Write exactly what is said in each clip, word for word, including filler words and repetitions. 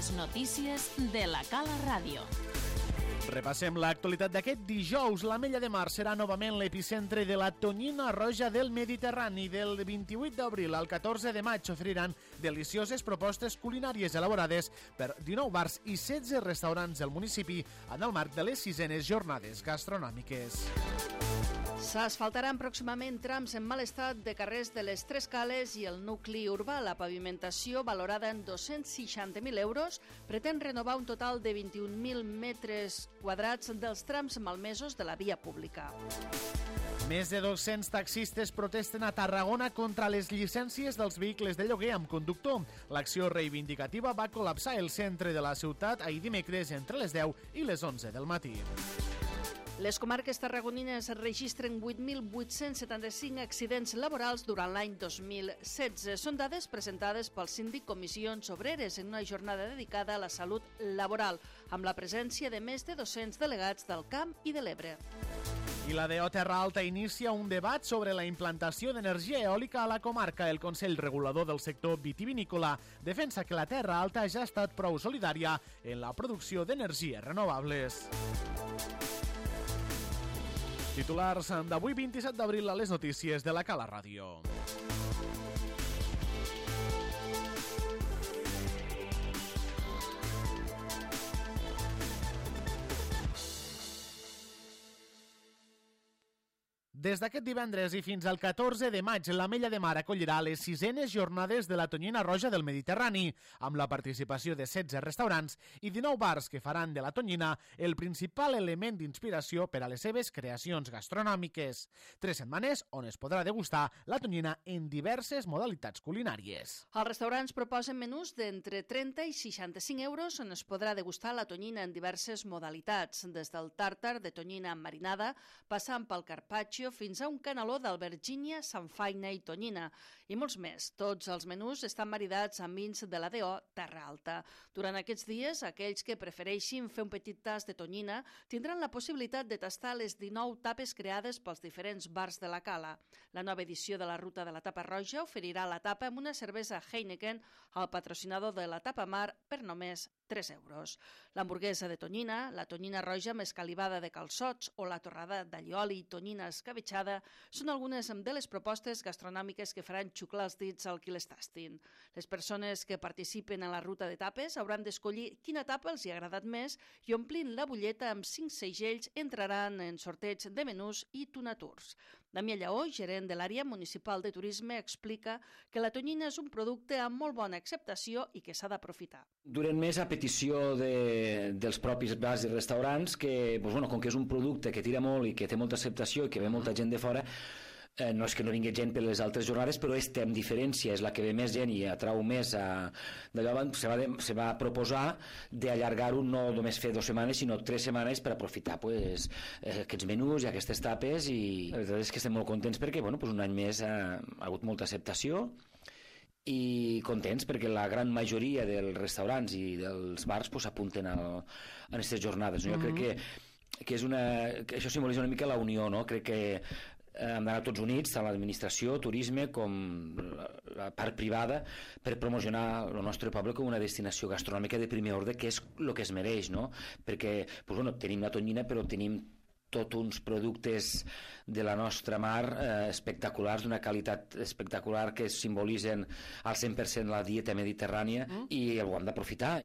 Les notícies de la Cala Ràdio. Repassem l'actualitat d'aquest dijous. L'Ametlla de Mar serà novament l'epicentre de la tonyina roja del Mediterrani. Del vint-i-vuit d'abril al catorze de maig oferiran delicioses propostes culinàries elaborades per dinou bars i setze restaurants del municipi en el marc de les sisenes jornades gastronòmiques. S'asfaltaran pròximament trams en mal estat de carrers de les Tres Cales i el nucli urbà. La pavimentació, valorada en dos-cents seixanta mil euros, pretén renovar un total de vint-i-un mil metres quadrats dels trams malmesos de la via pública. Més de dos-cents taxistes protesten a Tarragona contra les llicències dels vehicles de lloguer amb conductor. L'acció reivindicativa va col·lapsar el centre de la ciutat ahir dimecres entre les deu i les onze del matí. Les comarques tarragonines registren vuit mil vuit-cents setanta-cinc accidents laborals durant l'any dos mil setze. Són dades presentades pel síndic Comissions Obreres en una jornada dedicada a la salut laboral, amb la presència de més de dos-cents delegats del Camp i de l'Ebre. I la D O Terra Alta inicia un debat sobre la implantació d'energia eòlica a la comarca. El Consell Regulador del sector vitivinícola defensa que la Terra Alta ja ha estat prou solidària en la producció d'energies renovables. Titulars d'avui vint-i-set d'abril a les notícies de la Cala Ràdio. Des d'aquest divendres i fins al catorze de maig, l'Ametlla de Mar acollirà les sisenes jornades de la tonyina roja del Mediterrani, amb la participació de setze restaurants i dinou bars que faran de la tonyina el principal element d'inspiració per a les seves creacions gastronòmiques. Tres setmanes on es podrà degustar la tonyina en diverses modalitats culinàries. Els restaurants proposen menús d'entre trenta i seixanta-cinc euros on es podrà degustar la tonyina en diverses modalitats, des del tàrtar de tonyina marinada, passant pel carpaccio, fins a un caneló d'albergínia, samfaina i tonyina, i molts més. Tots els menús estan maridats amb vins de la D O Terra Alta. Durant aquests dies, aquells que prefereixin fer un petit tast de tonyina tindran la possibilitat de tastar les dinou tapes creades pels diferents bars de la Cala. La nova edició de la Ruta de la Tapa Roja oferirà la tapa amb una cervesa Heineken al patrocinador de la Tapa Mar per només tres euros. L'hamburguesa de tonyina, la tonyina roja amb escalivada de calçots o la torrada d'allioli i tonyina escabetxada són algunes de les propostes gastronòmiques que faran xuclar els dits al qui les tastin. Les persones que participen en la ruta de tapes hauran d'escollir quina tapa els hi ha agradat més i omplint la butlleta amb cinc segells entraran en sorteig de menús i tunatours. Damià Lleó, gerent de l'àrea municipal de turisme, explica que la tonyina és un producte amb molt bona acceptació i que s'ha d'aprofitar. Durant més a petició de, dels propis bars i restaurants que, doncs, bueno, com que és un producte que tira molt i que té molta acceptació i que ve molta gent de fora, eh, no és que no vingui gent per les altres jornades, però este amb diferència és la que ve més gent i atrau més a, d'allò, se va, de, se va proposar d'allargar-ho, no només fer dues setmanes sinó tres setmanes per aprofitar pues, aquests menús i aquestes tapes, i la veritat és que estem molt contents perquè bueno, pues un any més ha, ha hagut molta acceptació i contents perquè la gran majoria dels restaurants i dels bars s'apunten pues, a aquestes jornades. No? Jo mm-hmm. crec que, que, és una, que això simbolitza una mica la unió, no? Crec que hem d'anar tots units, tant l'administració, turisme com la, la part privada, per promocionar el nostre poble com una destinació gastronòmica de primer ordre, que és el que es mereix, no? Perquè pues, bueno, tenim la tonyina però tenim tots uns productes de la nostra mar eh, espectaculars, d'una qualitat espectacular que simbolitzen al cent per cent la dieta mediterrània mm. i ho hem d'aprofitar.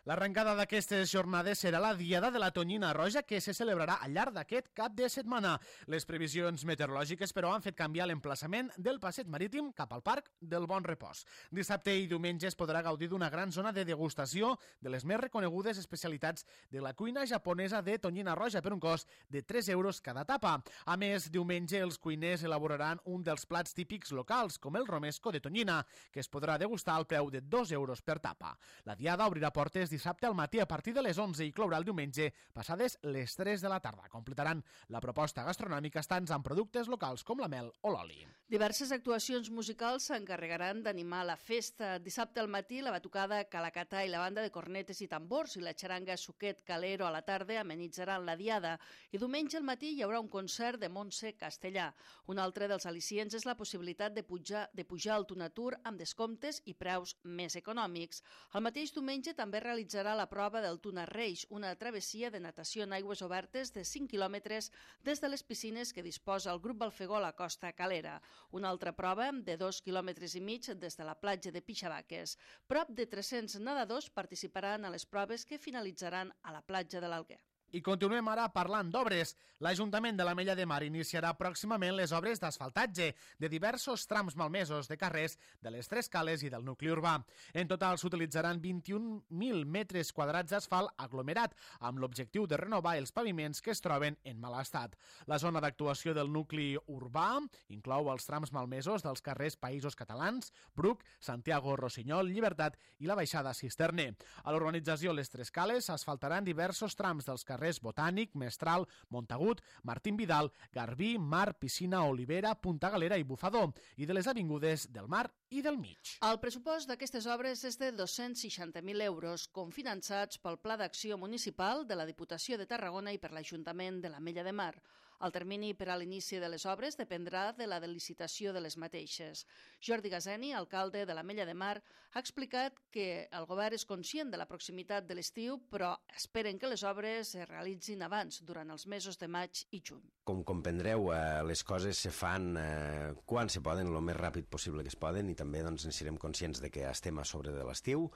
L'arrencada d'aquestes jornades serà la Diada de la Tonyina Roja que se celebrarà al llarg d'aquest cap de setmana. Les previsions meteorològiques, però, han fet canviar l'emplaçament del passeig marítim cap al Parc del Bon Repòs. Dissabte i diumenge es podrà gaudir d'una gran zona de degustació de les més reconegudes especialitats de la cuina japonesa de tonyina roja per un cost de tres euros cada tapa. A més, diumenge els cuiners elaboraran un dels plats típics locals, com el romesco de tonyina, que es podrà degustar al preu de dos euros per tapa. La diada obrirà portes dissabte al matí a partir de les onze i clourà el diumenge passades les tres de la tarda. Completaran la proposta gastronòmica estants amb productes locals com la mel o l'oli. Diverses actuacions musicals s'encarregaran d'animar la festa. Dissabte al matí la batucada Calacatà i la banda de cornetes i tambors i la xaranga Suquet Calero a la tarda amenitzaran la diada, i diumenge al matí hi haurà un concert de Montse Castellà. Un altre dels al·licients és la possibilitat de pujar, de pujar al Tunatur amb descomptes i preus més econòmics. El mateix diumenge també realitzarà la prova del Tunarreix, una travessia de natació en aigües obertes de cinc quilòmetres des de les piscines que disposa el grup Balfegó a la Costa Calera. Una altra prova de dos quilòmetres i mig des de la platja de Pixabaques. Prop de tres-cents nedadors participaran a les proves que finalitzaran a la platja de l'Alguer. I continuem ara parlant d'obres. L'Ajuntament de l'Ametlla de Mar iniciarà pròximament les obres d'asfaltatge de diversos trams malmesos de carrers de les Tres Cales i del nucli urbà. En total s'utilitzaran vint-i-un mil metres quadrats d'asfalt aglomerat, amb l'objectiu de renovar els paviments que es troben en mal estat. La zona d'actuació del nucli urbà inclou els trams malmesos dels carrers Països Catalans, Bruc, Santiago, Rossinyol, Llibertat i la Baixada Cisterner. A l'urbanització Les Tres Cales s'asfaltaran diversos trams dels carrers carrers Botànic, Mestral, Montagut, Martín Vidal, Garbí, Mar, Piscina, Olivera, Punta Galera i Bufador, i de les avingudes del Mar i del Mig. El pressupost d'aquestes obres és de dos-cents seixanta mil euros, cofinançats pel Pla d'Acció Municipal de la Diputació de Tarragona i per l'Ajuntament de l'Ametlla de Mar. El termini per a l'inici de les obres dependrà de la licitació de les mateixes. Jordi Gazeni, alcalde de l'Ametlla de Mar, ha explicat que el govern és conscient de la proximitat de l'estiu, però esperen que les obres es realitzin abans, durant els mesos de maig i juny. Com comprendreu, eh, les coses se fan eh, quan se poden, el més ràpid possible que es poden, i també doncs, en serem conscients de que estem a sobre de l'estiu,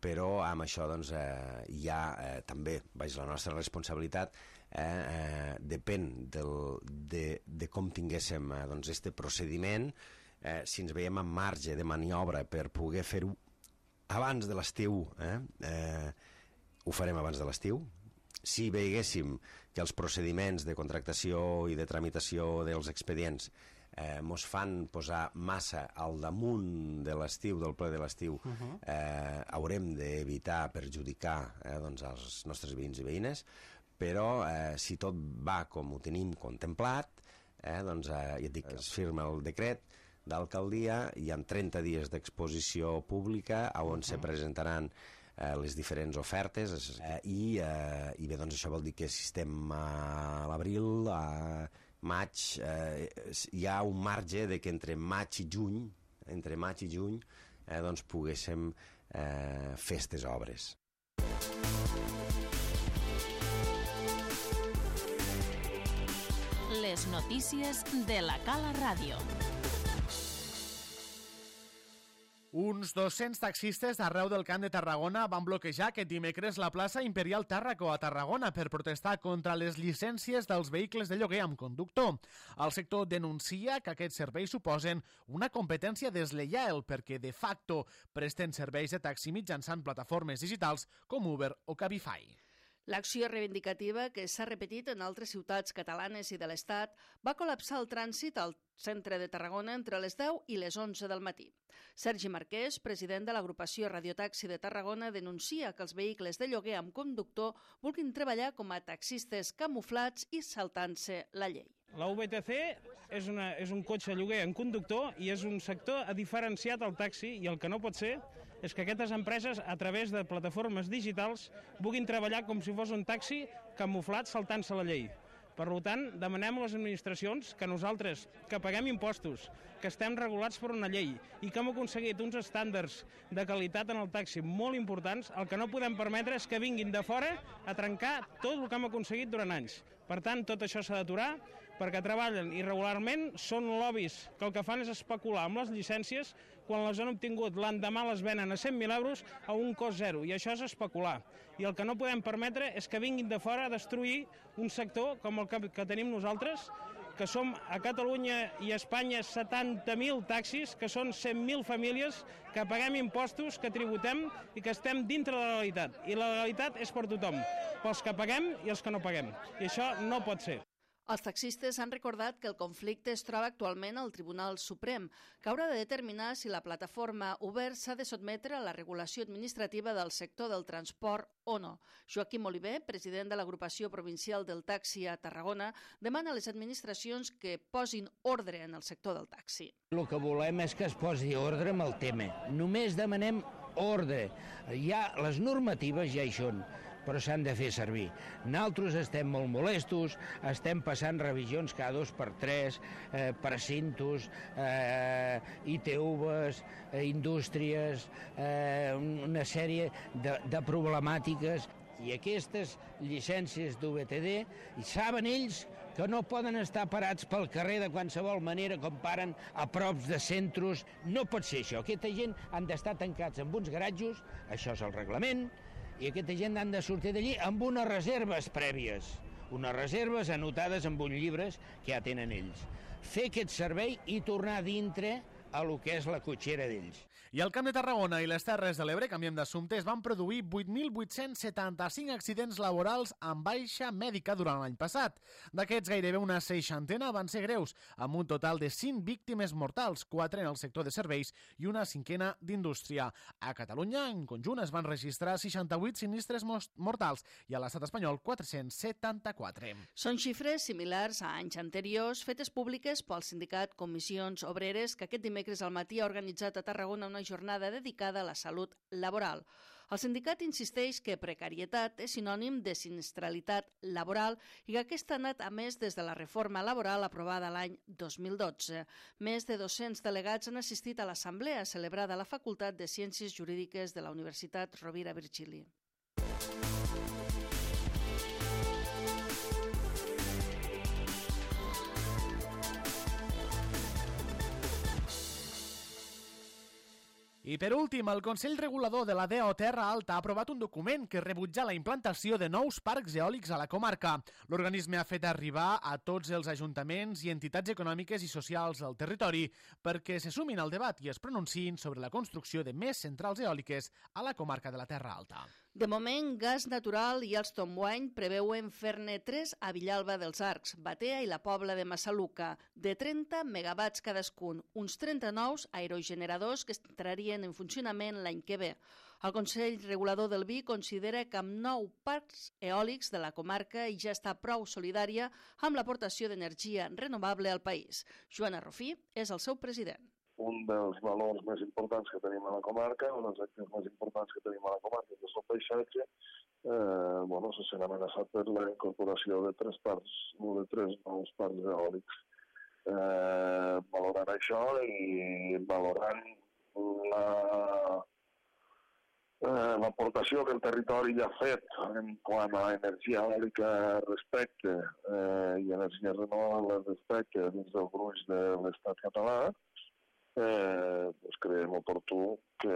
però amb això doncs, eh, hi ha eh, també, baix la nostra responsabilitat, eh, eh, depèn del, de, de com tinguéssim eh, doncs, este procediment, eh, si ens veiem en marge de maniobra per poder fer-ho abans de l'estiu, eh, eh, ho farem abans de l'estiu. Si veiéssim que els procediments de contractació i de tramitació dels expedients eh, mos fan posar massa al damunt de l'estiu, del ple de l'estiu, uh-huh. eh, haurem d'evitar perjudicar eh, doncs, els nostres veïns i veïnes, però eh, si tot va com ho tenim contemplat, eh, doncs eh, ja et dic, es firma el decret d'alcaldia, hi ha trenta dies d'exposició pública on uh-huh. se presentaran eh, les diferents ofertes eh, i, eh, i bé, doncs això vol dir que si estem a l'abril, a maig, eh, hi ha un marge de que entre maig i juny, entre maig i juny, eh, doncs poguéssim eh, fer aquestes obres. Les notícies de la Cala Ràdio. Uns dos-cents taxistes d'arreu del Camp de Tarragona van bloquejar aquest dimecres la plaça Imperial Tàrraco a Tarragona per protestar contra les llicències dels vehicles de lloguer amb conductor. El sector denuncia que aquests serveis suposen una competència desleial perquè de facto presten serveis de taxi mitjançant plataformes digitals com Uber o Cabify. L'acció reivindicativa, que s'ha repetit en altres ciutats catalanes i de l'Estat, va col·lapsar el trànsit al centre de Tarragona entre les deu i les onze del matí. Sergi Marquès, president de l'agrupació Radiotaxi de Tarragona, denuncia que els vehicles de lloguer amb conductor vulguin treballar com a taxistes camuflats i saltant-se la llei. La U B T C és, una, és un cotxe lloguer en conductor i és un sector diferenciat al taxi, i el que no pot ser és que aquestes empreses, a través de plataformes digitals, vulguin treballar com si fos un taxi camuflat saltant-se la llei. Per tant, demanem a les administracions que nosaltres, que paguem impostos, que estem regulats per una llei i que hem aconseguit uns estàndards de qualitat en el taxi molt importants, el que no podem permetre és que vinguin de fora a trencar tot el que hem aconseguit durant anys. Per tant, tot això s'ha d'aturar, perquè treballen irregularment, són lobbies que el que fan és especular amb les llicències, quan les han obtingut l'endemà les venen a cent mil euros a un cost zero, i això és especular. I el que no podem permetre és que vinguin de fora a destruir un sector com el que, que tenim nosaltres, que som a Catalunya i a Espanya setanta mil taxis, que són cent mil famílies, que paguem impostos, que tributem i que estem dintre de la legalitat. I la legalitat és per tothom, pels que paguem i els que no paguem. I això no pot ser. Els taxistes han recordat que el conflicte es troba actualment al Tribunal Suprem, que haurà de determinar si la plataforma Uber s'ha de sotmetre a la regulació administrativa del sector del transport o no. Joaquim Oliver, president de l'agrupació provincial del taxi a Tarragona, demana a les administracions que posin ordre en el sector del taxi. El que volem és que es posi ordre amb el tema. Només demanem ordre. Ja, les normatives ja hi són. però s'han de fer servir. Nosaltres estem molt molestos, estem passant revisions cada dos per tres, eh, precintos, eh, I T Vs, eh, indústries, eh, una sèrie de, de problemàtiques, i aquestes llicències d'U V T D, i saben ells que no poden estar parats pel carrer de qualsevol manera com paren a props de centres. No pot ser això. Aquesta gent han d'estar tancats en uns garatjos, això és el reglament, i aquesta gent han de sortir d'allí amb unes reserves prèvies, unes reserves anotades en uns llibres que ja tenen ells. Fer aquest servei i tornar dintre a lo que és la cotxera d'ells. I al Camp de Tarragona i les Terres de l'Ebre, canviem d'assumpte, es van produir vuit mil vuit-cents setanta-cinc accidents laborals amb baixa mèdica durant l'any passat. D'aquests, gairebé una seixantena van ser greus, amb un total de cinc víctimes mortals, quatre en el sector de serveis i una cinquena d'indústria. A Catalunya, en conjunt, es van registrar seixanta-vuit sinistres mortals i a l'estat espanyol quatre-cents setanta-quatre. Són xifres similars a anys anteriors, fetes públiques pel sindicat Comissions Obreres, que aquest dimecres al matí ha organitzat a Tarragona una jornada dedicada a la salut laboral. El sindicat insisteix que precarietat és sinònim de sinistralitat laboral i que aquesta ha anat a més des de la reforma laboral aprovada l'any dos mil dotze. Més de dos-cents delegats han assistit a l'assemblea celebrada a la Facultat de Ciències Jurídiques de la Universitat Rovira Virgili. I per últim, el Consell Regulador de la D E O Terra Alta ha aprovat un document que rebutja la implantació de nous parcs eòlics a la comarca. L'organisme ha fet arribar a tots els ajuntaments i entitats econòmiques i socials del territori perquè se sumin al debat i es pronunciïn sobre la construcció de més centrals eòliques a la comarca de la Terra Alta. De moment, Gas Natural i Alstom Wine preveuen fer-ne tres a Villalba dels Arcs, Batea i la Pobla de Massaluca, de trenta megawatts cadascun, uns trenta nous aerogeneradors que entrarien en funcionament l'any que ve. El Consell Regulador del Vi considera que amb nou parcs eòlics de la comarca i ja està prou solidària amb l'aportació d'energia renovable al país. Joana Rofí és el seu president. Un dels valors més importants que tenim a la comarca, un dels actius més importants que tenim a la comarca, que és el paisatge, eh, bueno, se sent amenaçat per la incorporació de tres parcs, o de tres nous parcs eòlics. Eh, valorant això i valorant la eh, l'aportació que el territori ja ha fet en quant a energia eòlica respecte eh, i energia renovable respecte dins del gruix de l'estat català, Eh, pues creiem oportú que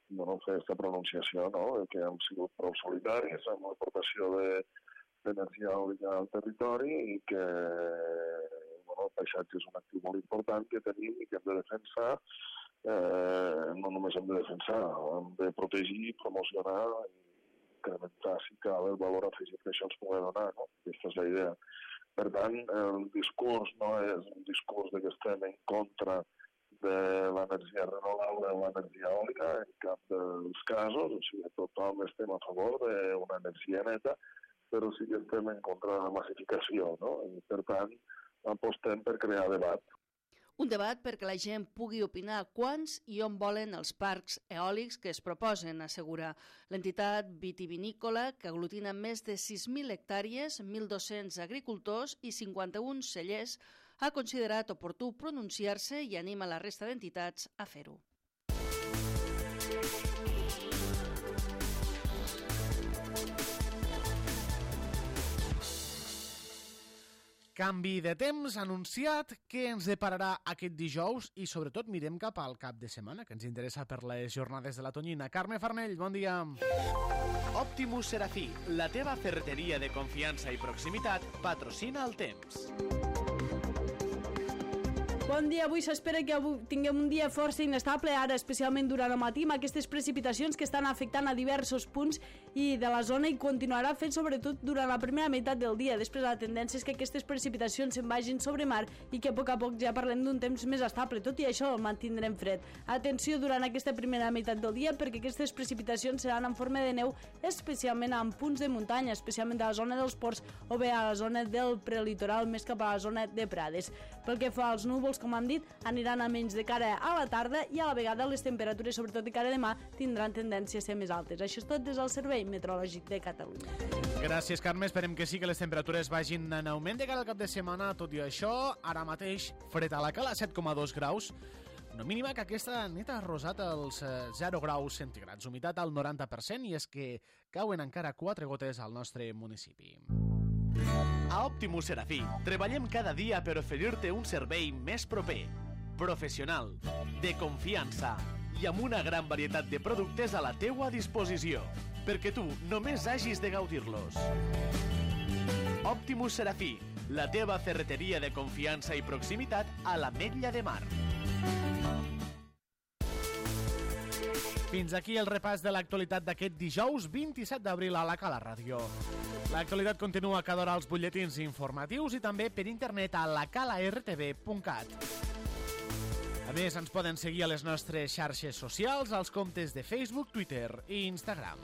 bueno, fer aquesta pronunciació, no? Que hem sigut prou solidaris amb l'aportació d'energia eòlica al territori i que bueno, el paisatge és un actiu molt important que tenim i que hem de defensar. Eh, no només hem de defensar, hem de protegir, promocionar i incrementar, si cal, el valor afegit que això ens pugui donar. No? Aquesta és la idea. Per tant, el discurs no és un discurs que estem en contra de l'energia renovable o l'energia eòlica, en cap dels casos, o sigui, tothom estem a favor d'una energia neta, però sí que estem en contra de la massificació, no? I, per tant, apostem per crear debat. Un debat perquè la gent pugui opinar quants i on volen els parcs eòlics que es proposen, assegura l'entitat vitivinícola, que aglutina més de sis mil hectàrees, mil dos-cents agricultors i cinquanta-un cellers, ha considerat oportú pronunciar-se i anima la resta d'entitats a fer-ho. Canvi de temps anunciat que ens depararà aquest dijous i sobretot mirem cap al cap de setmana, que ens interessa per les jornades de la Tonyina. Carme Farnell, bon dia. Optimus Serafí, la teva ferreteria de confiança i proximitat, patrocina el temps. Bon dia, avui s'espera que avui tinguem un dia força inestable, ara especialment durant el matí, amb aquestes precipitacions que estan afectant a diversos punts i de la zona i continuarà fent sobretot durant la primera meitat del dia. Després la tendència és que aquestes precipitacions se'n vagin sobre mar i que a poc a poc ja parlem d'un temps més estable. Tot i això el mantindrem fred. Atenció durant aquesta primera meitat del dia perquè aquestes precipitacions seran en forma de neu, especialment en punts de muntanya, especialment a la zona dels ports o bé a la zona del prelitoral, més cap a la zona de Prades. Pel que fa als núvols temporals, com hem dit, aniran a menys de cara a la tarda i a la vegada les temperatures, sobretot de cara a demà, tindran tendència a ser més altes. Això és tot des del Servei Meteorològic de Catalunya. Gràcies, Carme. Esperem que sí que les temperatures vagin en augment de cara al cap de setmana. Tot i això, ara mateix, fred a la Cala, set coma dos graus. Una mínima que aquesta nit ha rosat els zero graus centígrads. Humitat al noranta per cent i és que cauen encara quatre gotes al nostre municipi. A Optimus Serafí treballem cada dia per oferir-te un servei més proper, professional, de confiança i amb una gran varietat de productes a la teua disposició, perquè tu només hagis de gaudir-los. Optimus Serafí, la teva ferreteria de confiança i proximitat a l'Ametlla de Mar. Fins aquí el repàs de l'actualitat d'aquest dijous vint-i-set d'abril a la Cala Ràdio. L'actualitat continua cada hora als butlletins informatius i també per internet a la cala r t v punt cat. A més, ens poden seguir a les nostres xarxes socials, als comptes de Facebook, Twitter i Instagram.